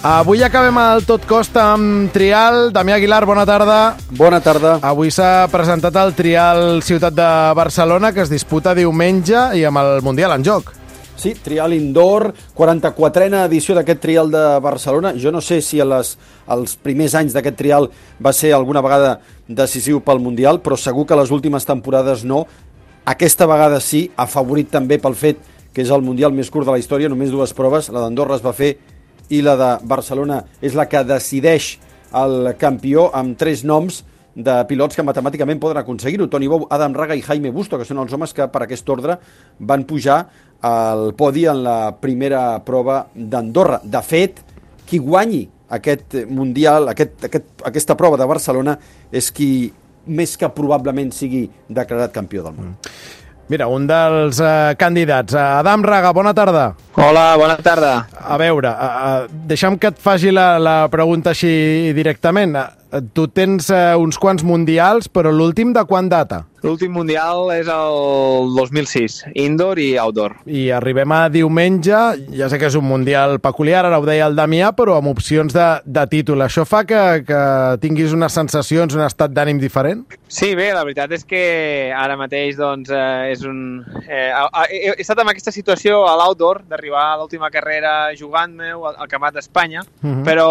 Avui acabem el Tot Costa amb trial. Damià Aguilar, bona tarda. Bona tarda. Avui s'ha presentat el trial Ciutat de Barcelona, que es disputa diumenge i amb el Mundial en joc. Sí, trial indoor, 44a edició d'aquest trial de Barcelona. Jo no sé si els primers anys d'aquest trial va ser alguna vegada decisiu pel Mundial, però segur que les últimes temporades no. Aquesta vegada sí, afavorit també pel fet que és el Mundial més curt de la història, només 2 proves, la d'Andorra es va fer i la de Barcelona és la que decideix el campió amb 3 noms de pilots que matemàticament poden aconseguir-ho. Toni Bou, Adam Raga i Jaime Busto, que són els homes que per aquest ordre van pujar al podi en la primera prova d'Andorra. De fet, qui guanyi aquest Mundial, aquesta prova de Barcelona, és qui més que probablement sigui declarat campió del món. Mira, un dels candidats. Adam Raga, bona tarda. Hola, bona tarda. A veure, deixa'm que et faci la pregunta així directament. Tu tens uns quants mundials, però l'últim de quan data? L'últim mundial és el 2006, indoor i outdoor. I arribem a diumenge, ja sé que és un mundial peculiar, ara ho deia el Damià, però amb opcions de títol. Això fa que tinguis unes sensacions, un estat d'ànim diferent? Sí, bé, la veritat és que ara mateix doncs, és un... he estat en aquesta situació a l'outdoor, d'arribar a l'última carrera jugant-me al Campionat d'Espanya, però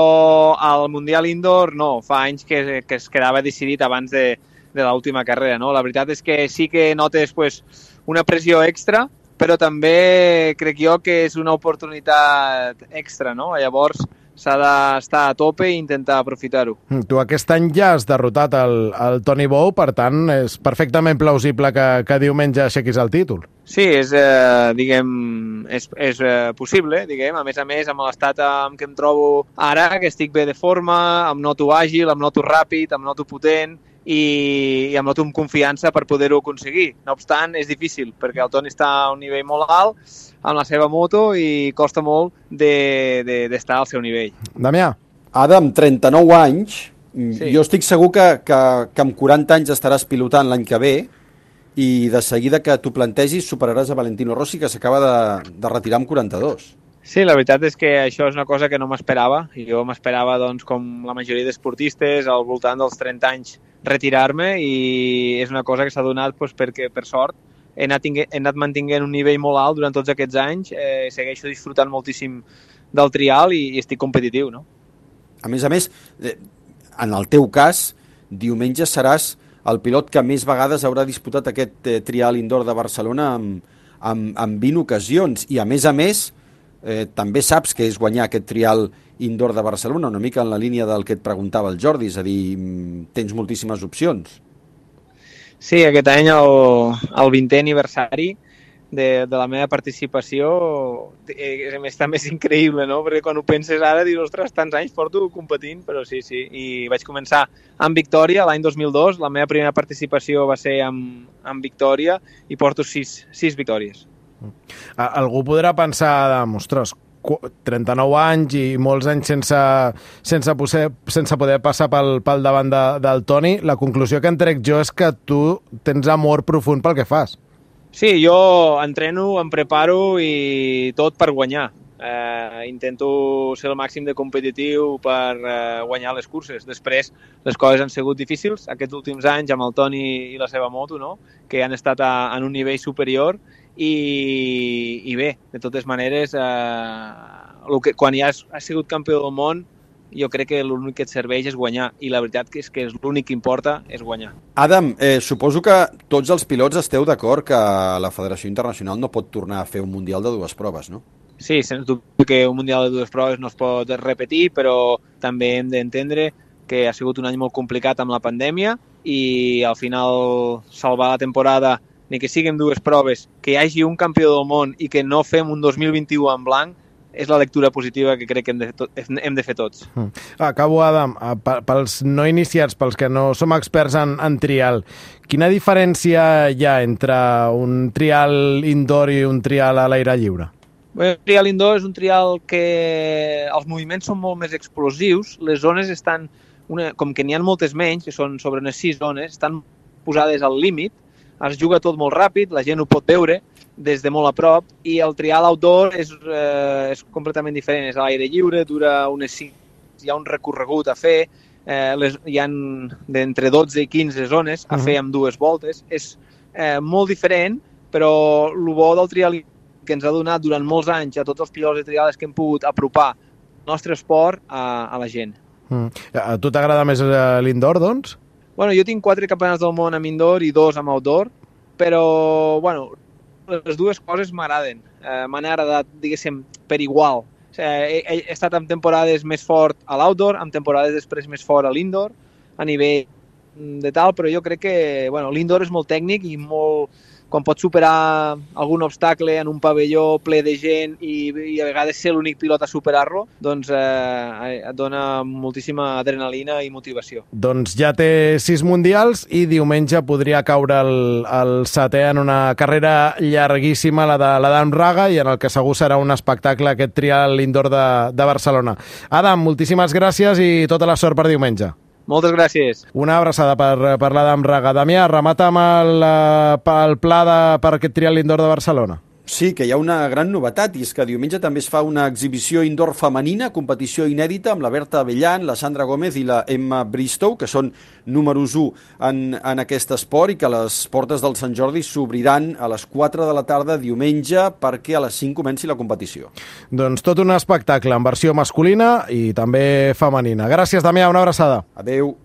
al mundial indoor no, fa anys que es quedava decidit abans de l'última carrera, no? La veritat és que sí que notes pues, una pressió extra, però també crec jo que és una oportunitat extra, no? Llavors s'ha d'estar a tope i intentar aprofitar-ho. Tu aquest any ja has derrotat el Toni Bou, per tant és perfectament plausible que diumenge aixequis el títol. Sí, és possible, diguem. A més, amb l'estat en què em trobo ara, que estic bé de forma, em noto àgil, em noto ràpid, em noto potent i em noto amb confiança per poder-ho aconseguir. No obstant, és difícil, perquè el Toni està a un nivell molt alt amb la seva moto i costa molt d'estar al seu nivell. Damià. Adam, 39 anys, sí. Jo estic segur que amb 40 anys estaràs pilotant l'any que ve i de seguida que t'ho plantegis superaràs a Valentino Rossi, que s'acaba de retirar amb 42. Sí, la veritat és que això és una cosa que no m'esperava. Jo m'esperava, doncs, com la majoria d'esportistes, al voltant dels 30 anys retirar-me, i és una cosa que s'ha donat doncs, perquè, per sort, he anat mantenint un nivell molt alt durant tots aquests anys, segueixo disfrutant moltíssim del trial i estic competitiu, no? A més, en el teu cas, diumenge seràs el pilot que més vegades haurà disputat aquest trial indoor de Barcelona amb 20 ocasions, i a més, també saps que és guanyar aquest trial indoor de Barcelona, una mica en la línia del que et preguntava el Jordi, és a dir, tens moltíssimes opcions. Sí, aquest any el 20è aniversari de la meva participació també és increïble, no? Perquè quan ho penses ara dius, ostres, tants anys porto competint, però sí, i vaig començar amb victòria l'any 2002, la meva primera participació va ser amb victòria i porto 6 victòries. Algú podrà pensar, ostres, 39 anys i molts anys sense poder passar pel davant del Toni. La conclusió que en trec jo és que tu tens amor profund pel que fas. Sí, jo entreno, em preparo i tot per guanyar. Intento ser el màxim de competitiu per guanyar les curses. Després, les coses han sigut difícils aquests últims anys amb el Toni i la seva moto, no? Que han estat en un nivell superior i bé, de totes maneres, quan ja has sigut campió del món, jo crec que l'únic que et serveix és guanyar, i la veritat és que l'únic que importa és guanyar. Adam, suposo que tots els pilots esteu d'acord que la Federació Internacional no pot tornar a fer un Mundial de 2 proves, no? Sí, sens dubte que un Mundial de 2 proves no es pot repetir, però també hem d'entendre que ha sigut un any molt complicat amb la pandèmia i al final salvar la temporada, ni que siguin 2 proves, que hi hagi un campió del món i que no fem un 2021 en blanc, és la lectura positiva que crec que hem de fer tots. Acabo, Adam. Pels no iniciats, pels que no som experts en trial, quina diferència hi ha entre un trial indoor i un trial a l'aire lliure? Bé, un trial indoor és un trial que els moviments són molt més explosius, les zones estan, com que n'hi ha moltes menys, que són sobre unes 6 zones, estan posades al límit, es juga tot molt ràpid, la gent ho pot veure des de molt a prop, i el trial outdoor és completament diferent, és a l'aire lliure, dura unes 5, hi ha un recorregut a fer, hi ha d'entre 12 i 15 zones a fer amb 2 voltes, és molt diferent, però el bo del trial que ens ha donat durant molts anys a tots els pilots de trial és que hem pogut apropar el nostre esport a la gent. A tu t'agrada més l'indoor, doncs? Bueno, jo tinc 4 campionats del món amb indoor i 2 amb outdoor, però bueno, les dues coses m'agraden. M'han agradat, diguéssim, per igual. He estat en temporades més fort a l'outdoor, en temporades després més fort a l'indoor, a nivell de tal, però jo crec que l'indoor és molt tècnic i molt... Quan pots superar algun obstacle en un pavelló ple de gent i a vegades ser l'únic pilot a superar-lo, doncs et dona moltíssima adrenalina i motivació. Doncs ja té 6 mundials i diumenge podria caure el 7è en una carrera llarguíssima, la d'Adam Raga, i en el que segur serà un espectacle aquest trial indoor de Barcelona. Adam, moltíssimes gràcies i tota la sort per diumenge. Moltes gràcies. Una abraçada per l'Adam Raga. Damià, remata amb el pla per aquest trial indoor de Barcelona. Sí, que hi ha una gran novetat, i és que diumenge també es fa una exhibició indoor femenina, competició inèdita, amb la Berta Abellan, la Sandra Gómez i la Emma Bristow, que són números 1 en aquest esport, i que les portes del Sant Jordi s'obriran a les 4 de la tarda diumenge perquè a les 5 comenci la competició. Doncs tot un espectacle en versió masculina i també femenina. Gràcies, Damià, una abraçada. Adeu.